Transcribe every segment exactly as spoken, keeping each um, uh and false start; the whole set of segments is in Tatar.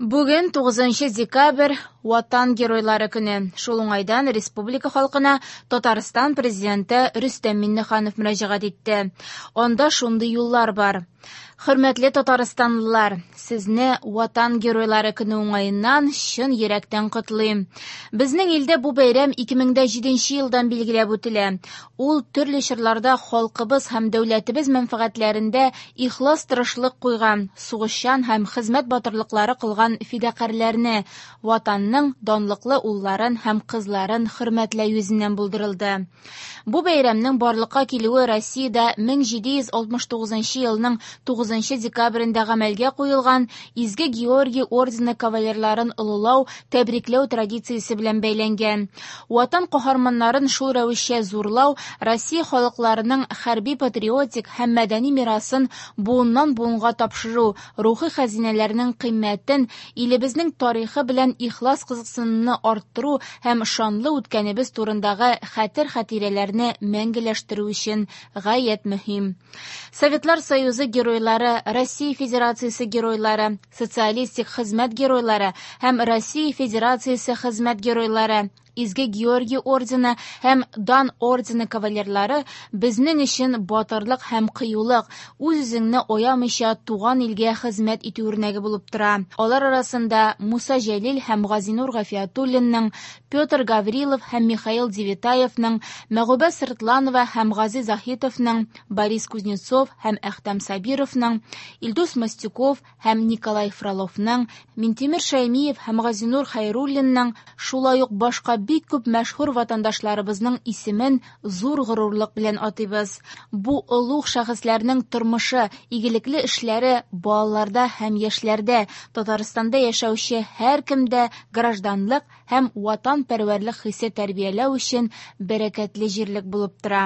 Бүген тугызынчы декабрь Ватан геройлары көне. Шул уңайдан республика халкына Татарстан президенты Рөстәм Миңнеханов мөрәҗәгать итте. Анда шундый юллар бар. Хөрмәтле татарстанлылар, сезне Ватан геройлары көне уңаеннан чын йөрәктән котлыйм. Безнең илдә бу бәйрәм ике мең дә җиденче елдан билгеләп үтелә. Ул төрле чорларда халкыбыз һәм дәүләтебез мәнфәгатьләрендә ихлас тырышлык куйган, сугышчан һәм хезмәт батырлыклары кылган фидакарьләрне, Ватанның данлыклы улларын һәм кызларын хөрмәтләү йөзеннән булдырылды. Бу бәйрәмнең барлыкка килүе Россиядә мең җиде йөз алтмыш тугызынчы елның тугызынчы декабрендә гамәлгә куелган Изге Георгий ордены кавалерларын олылау, тәбрикләү традициясе белән бәйләнгән. Ватан каһарманнарын шул рәвешчә зурлау Россия халыкларының хәрби-патриотик һәм мәдәни мирасын буыннан буынга тапшыру, рухи хәзинәләрнең кыйммәтен, илебезнең тарихы белән ихлас кызыксынуны арттыру һәм шанлы үткәнебез турындагы хәтер-хатирәләрне мәңгеләштерү өчен гаять мөһим. Советлар Союзы геройлары, Россия Федерациясе геройлары, социалистик хезмәт геройлары һәм Россия Федерациясе хезмәт геройлары, Изге Георгий ордены һәм Дан ордены кавалерлары безнең өчен батырлык һәм кыюлык, үз-үзеңне аямыйча туган илгә хезмәт итү үрнәге булып тора. Алар арасында Муса Җәлил һәм Газинур Гафиятуллинның, Петр Гаврилов һәм Михаил Девятаевның, Мәгүбә Сыртланова һәм Гази Заһитовның, Борис Кузнецов һәм Әхтәм Сабировның, Илдус Мостюков һәм Николай Фроловның, Минтимер Шәймиев һәм Газинур Хәйруллинның, шулай ук башка бик күп мәшһүр ватандашларыбызның исемен зур горурлык белән атыйбыз. Бу олуг шәхесләрнең тормышы, игелекле эшләре балаларда һәм яшьләрдә, Татарстанда яшәүче һәркемдә гражданлык һәм ватанпәрвәрлек хисе тәрбияләү өчен бәрәкәтле җирлек булып тора.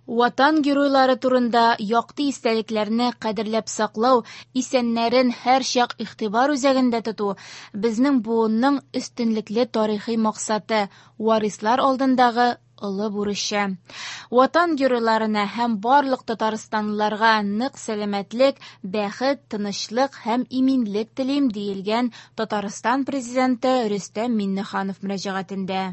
Ватан геройлары турында якты истәлекләрне кадерләп саклау, исәннәрен һәрчак игътибар үзәгендә тоту безнең буынның өстенлекле тарихи максаты, варислар алдындагы олы бурычы. Ватан геройларына һәм барлык татарстанлыларга нык сәламәтлек, бәхет, тынычлык һәм иминлек телим, диелгән Татарстан президенты Рөстәм Миңнеханов мөрәҗәгатендә.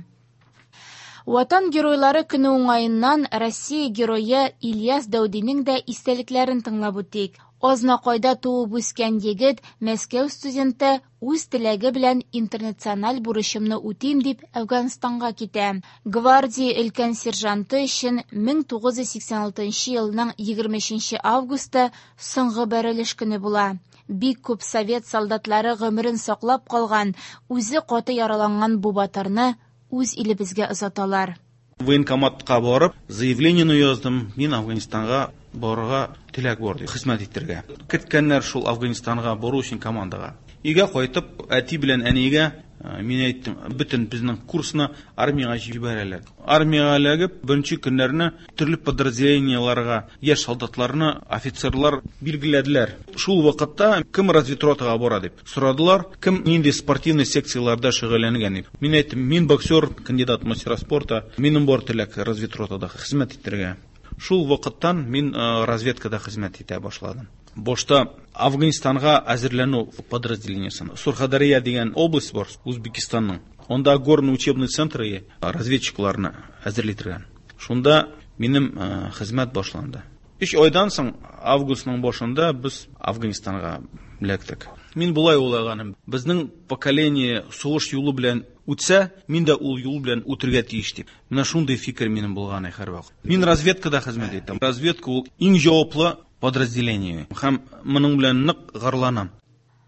Ватан геройлары көне уңаеннан Россия герое Ильяс Дәүдинең дә истәлекләрен тыңлап үтик. Азнакайда туып үскән егет, Мәскәү студенты, үз теләге белән интернациональ бурычымны үтим дип Әфганстанга китә. Гвардия өлкән сержанты өчен мең тугыз йөз сиксән алтынчы елның егерме өченче августы соңгы бәрелеш көне була. Бик күп совет солдатлары гомерен саклап калган, үзе каты яраланган бу батырны үз илебезгә озаталар. Военкоматка барып, заявлениене яздым. Мин Афганистанга барырга теләк бар дип, хезмәт итәргә. Керткәннәр шул Афганистанга бару өчен командага. Өйгә кайтып, әти белән әнигә, э, мин әйттем, бөтен безнең курсны армиягә җибәрәләр. Армиягә эләгеп, беренче көннәрне төрле подразделениеларга яшь солдатларны офицерлар билгеләделәр. Шул вакытта кем разведротага бара дип сорадылар, кем нинди спортивный секцияларда шөгыльләнгән дип. Мин әйттем, мин боксер, кандидат мастера спорта, минем бар теләк разведротада хезмәт итәргә. Шул вакыттан мин, э, разведкада хезмәт итә башладым. Башта Афганистанга әзерләнү подразделениесен. Сурхадарья дигән область бар Узбекистанның. Анда горный учебный центр разведчикларны әзерли торган. Шунда минем, э, хезмәт башланды. Өч айдан соң, августның башында без Афганистанга эләктек. Мин болай уйлаганым, безнең поколение сугыш юлы белән үтсә, мин дә ул юл белән үтергә тиеш дип. Менә шундый фикер минем булган һәрвакыт. Мин разведкада хезмәт иттем. Разведка ул иң җаваплы подразделение. Һәм моның белән нык горурланам.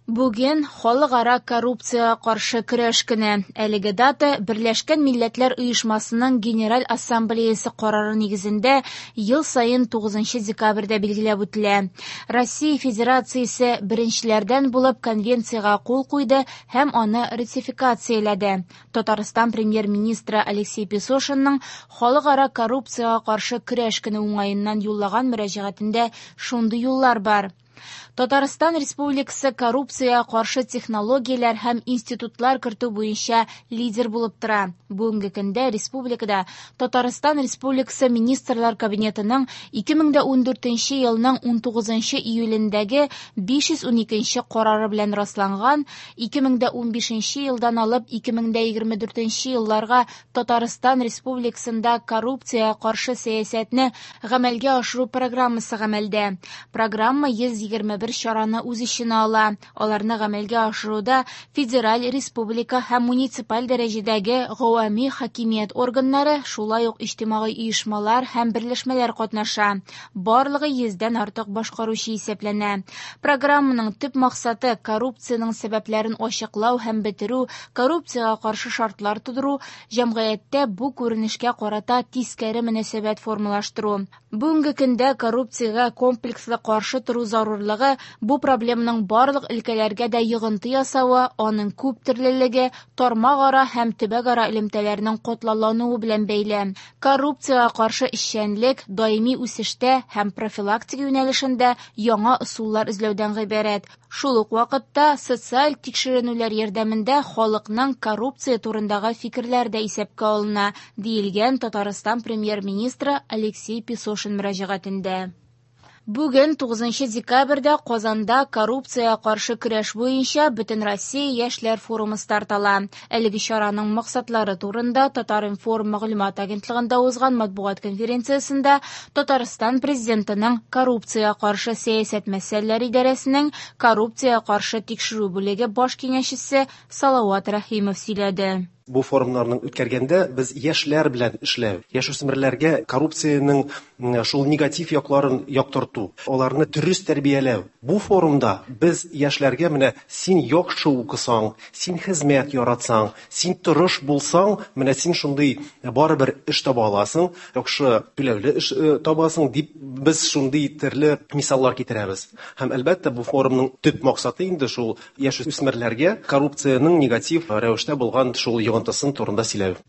Бүген халыкара коррупцияга каршы көрәш көне. Әлеге дата Берләшкән Милләтләр Оешмасының Генераль Ассамблеясы карары нигезендә ел саен тугызынчы декабрьдә билгеләп үтелә. Россия Федерациясе беренчеләрдән булып конвенциягә кул куйды һәм аны ратификацияләде. Татарстан премьер-министры Алексей Песошинның халыкара коррупцияга каршы көрәш көне уңаеннан юллаган мөрәҗәгатендә шундый юллар бар. Татарстан Республикасы коррупциягә каршы технологияләр һәм институтлар кертү буенча лидер булып тора. Бүгенге көндә республикада Татарстан Республикасы Министрлар Кабинетының ике мең дә ундүртенче елның унтугызынчы июлендәге биш йөз уникенче карары белән расланган ике мең дә унбишенче елдан алып ике мең дә егерме дүртенче елларга Татарстан Республикасында коррупциягә каршы сәясәтне гамәлгә ашыру программасы гамәлдә. Программа йөз егерме бер чараны үз эченә ала. Аларны гамәлгә ашыруда федераль, республика һәм муниципаль дәрәҗәдәге гавами хакимият органнары, шулай ук иҗтимагый оешмалар һәм берләшмәләр катнаша. Барлыгы йөздән артык башкаручы исәпләнә. Программаның төп максаты коррупциянең сәбәпләрен ачыклау һәм бетерү, коррупциягә каршы шартлар тудыру, җәмгыятьтә бу күренешкә карата тискәре мөнәсәбәт формалаштыру. Бүгенге көндә коррупциягә комплекслы каршы тору зарурлыгы бу проблеманың барлык өлкәләргә дә йогынты ясавы, аның күп төрлелеге, тармак-ара һәм төбәк-ара элемтәләрнең катлаулануы белән бәйле. Коррупциягә каршы эшчәнлек даими үсештә һәм профилактика юнәлешендә яңа ысуллар эзләүдән гыйбарәт. Шул ук вакытта социаль тикшеренүләр ярдәмендә халыкның коррупция турындагы фикерләре дә исәпкә алына, диелгән Татарстан премьер-министры Алексей Песошин мөрәҗәгатендә. Бүген тугызынчы декабрьдә Казанда коррупциягә каршы көрәш буенча Бөтенроссия яшьләр форумы старт ала. Әлеге чараның максатлары турында Татар-информ мәгълүмат агентлыгында узган матбугат конференциясендә Татарстан президентының коррупциягә каршы сәясәт мәсьәләләре идарәсенең коррупциягә каршы тикшерү бүлеге баш киңәшчесе Салават Рәхимов сөйләде. Бу форумнарның үткәргәндә без яшьләр белән эшләү, яшүсмерләргә коррупциянең шул негатив якларын яктырту, аларны дөрес тәрбияләү. Бу форумда без яшьләргә менә син яхшы укысаң, син хезмәт яратсаң, син тырыш булсаң, менә син шундый барыбер эш таба аласың, яхшы түләүле эш табасың дип без шундый төрле мисаллар китерәбез. Һәм әлбәттә бу форумның төп максаты инде шул яшүсмерләргә коррупциянең негатив рәвештә булган шул йогынтысын турында сөйләү.